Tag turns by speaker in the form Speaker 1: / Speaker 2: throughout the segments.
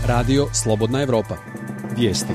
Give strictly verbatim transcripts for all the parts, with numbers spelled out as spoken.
Speaker 1: Radio Slobodna Evropa. Vijesti.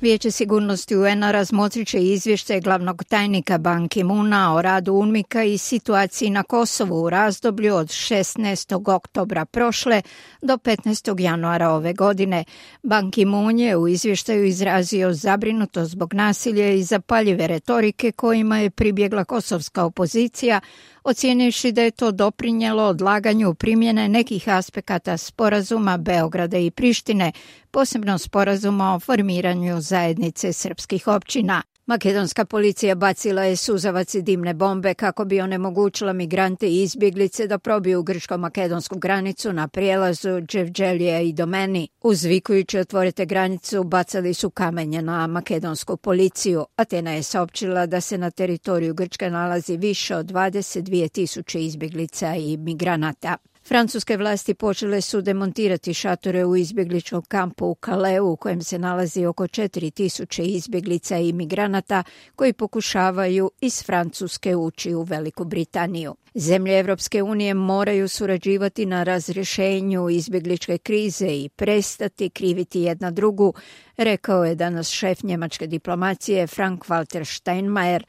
Speaker 2: Vijeće sigurnosti U N-a razmotrit će izvješće glavnog tajnika Ban Ki-moona o radu UNMIK-a i situaciji na Kosovu u razdoblju od šesnaestog oktobra prošle do petnaestog januara ove godine. Ban Ki-moon je u izvještaju izrazio zabrinutost zbog nasilja i zapaljive retorike kojima je pribjegla kosovska opozicija, ocijenivši da je to doprinijelo odlaganju primjene nekih aspekata sporazuma Beograda i Prištine, posebno sporazuma o formiranju zajednice srpskih općina. Makedonska policija bacila je suzavac i dimne bombe kako bi onemogućila migrante i izbjeglice da probiju grčko-makedonsku granicu na prijelazu Dževđelija i Domeni. Uzvikujući otvorite granicu, bacali su kamenje na makedonsku policiju. Atena je saopćila da se na teritoriju Grčke nalazi više od dvadeset dvije tisuće izbjeglica i migranata. Francuske vlasti počele su demontirati šatore u izbjegličkom kampu u Calaisu u kojem se nalazi oko četiri tisuće izbjeglica i migranata koji pokušavaju iz Francuske ući u Veliku Britaniju. Zemlje Evropske unije moraju surađivati na razrješenju izbjegličke krize i prestati kriviti jedna drugu, rekao je danas šef njemačke diplomacije Frank-Walter Steinmeier.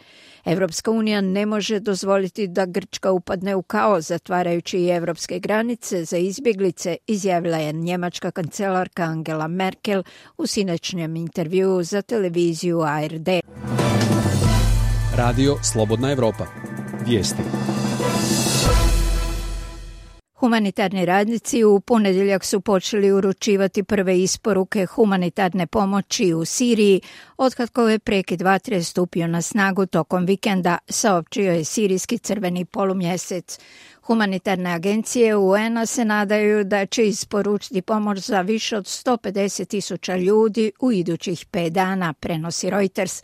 Speaker 2: Evropska unija ne može dozvoliti da Grčka upadne u kaos zatvarajući i evropske granice za izbjeglice, izjavila je njemačka kancelarka Angela Merkel u sinoćnjem intervjuu za televiziju A R D.
Speaker 1: Radio Slobodna Evropa. Vijesti.
Speaker 2: Humanitarni radnici u ponedjeljak su počeli uručivati prve isporuke humanitarne pomoći u Siriji otkako je prekid vatre stupio na snagu tokom vikenda, saopćio je sirijski crveni polumjesec. Humanitarne agencije U N-a se nadaju da će isporučiti pomoć za više od sto pedeset tisuća ljudi u idućih pet dana, prenosi Reuters.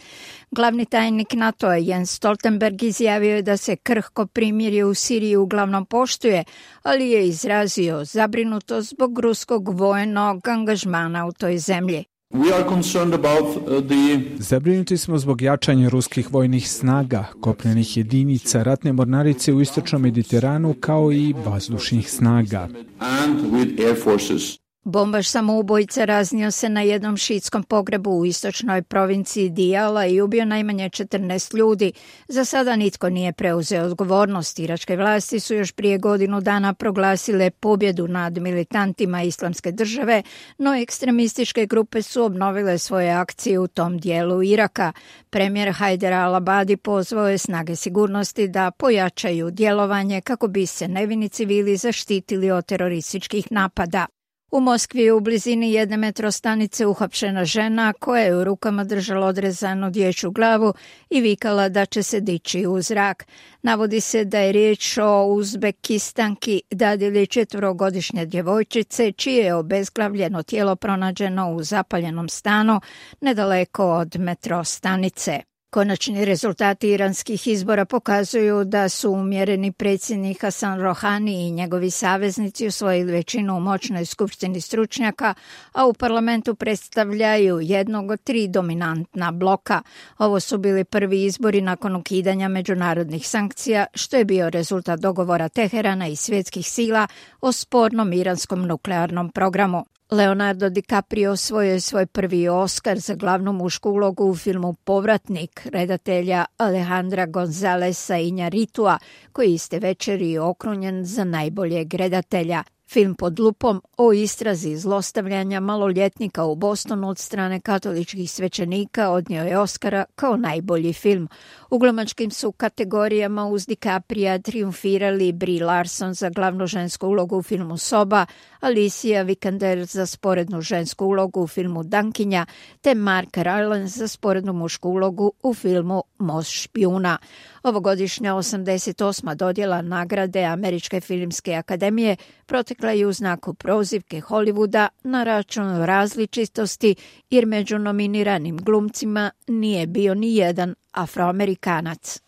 Speaker 2: Glavni tajnik NATO-a Jens Stoltenberg izjavio je da se krhko primirje u Siriji uglavnom poštuje, ali je izrazio zabrinutost zbog ruskog vojnog angažmana u toj zemlji.
Speaker 3: We are concerned about the...
Speaker 4: Zabrinuti smo zbog jačanja ruskih vojnih snaga, kopnenih jedinica, ratne mornarice u istočnom Mediteranu kao i vazdušnih snaga.
Speaker 3: And with air forces.
Speaker 2: Bombaš samoubojica raznio se na jednom šiitskom pogrebu u istočnoj provinciji Diyala i ubio najmanje četrnaest ljudi. Za sada nitko nije preuzeo odgovornost. Iračke vlasti su još prije godinu dana proglasile pobjedu nad militantima Islamske države, no ekstremističke grupe su obnovile svoje akcije u tom dijelu Iraka. Premijer Hajder al-Abadi pozvao je snage sigurnosti da pojačaju djelovanje kako bi se nevini civili zaštitili od terorističkih napada. U Moskvi je u blizini jedne metrostanice uhapšena žena koja je u rukama držala odrezanu dječju glavu i vikala da će se dići u zrak. Navodi se da je riječ o Uzbekistanki, dadilji četverogodišnje djevojčice, čije je obezglavljeno tijelo pronađeno u zapaljenom stanu nedaleko od metrostanice. Konačni rezultati iranskih izbora pokazuju da su umjereni predsjednik Hasan Rohani i njegovi saveznici osvojili većinu u moćnoj skupštini stručnjaka, a u parlamentu predstavljaju jednog od tri dominantna bloka. Ovo su bili prvi izbori nakon ukidanja međunarodnih sankcija, što je bio rezultat dogovora Teherana i svjetskih sila o spornom iranskom nuklearnom programu. Leonardo DiCaprio osvojio je svoj prvi Oscar za glavnu mušku ulogu u filmu Povratnik redatelja Alejandra Gonzalesa Iñárritua, koji iste večeri je okrunjen za najboljeg redatelja. Film Pod lupom o istrazi zlostavljanja maloljetnika u Bostonu od strane katoličkih svećenika odnio je Oscara kao najbolji film. U glumačkim su kategorijama uz DiCapria triumfirali Brie Larson za glavnu žensku ulogu u filmu Soba, Alicia Vikander za sporednu žensku ulogu u filmu Dankinja, te Mark Rylance za sporednu mušku ulogu u filmu Most špijuna. Ovogodišnja osamdeset osma dodjela nagrade Američke filmske akademije protekla je u znaku prozivke Hollywooda na račun različitosti, jer među nominiranim glumcima nije bio ni jedan Afroamerikanac.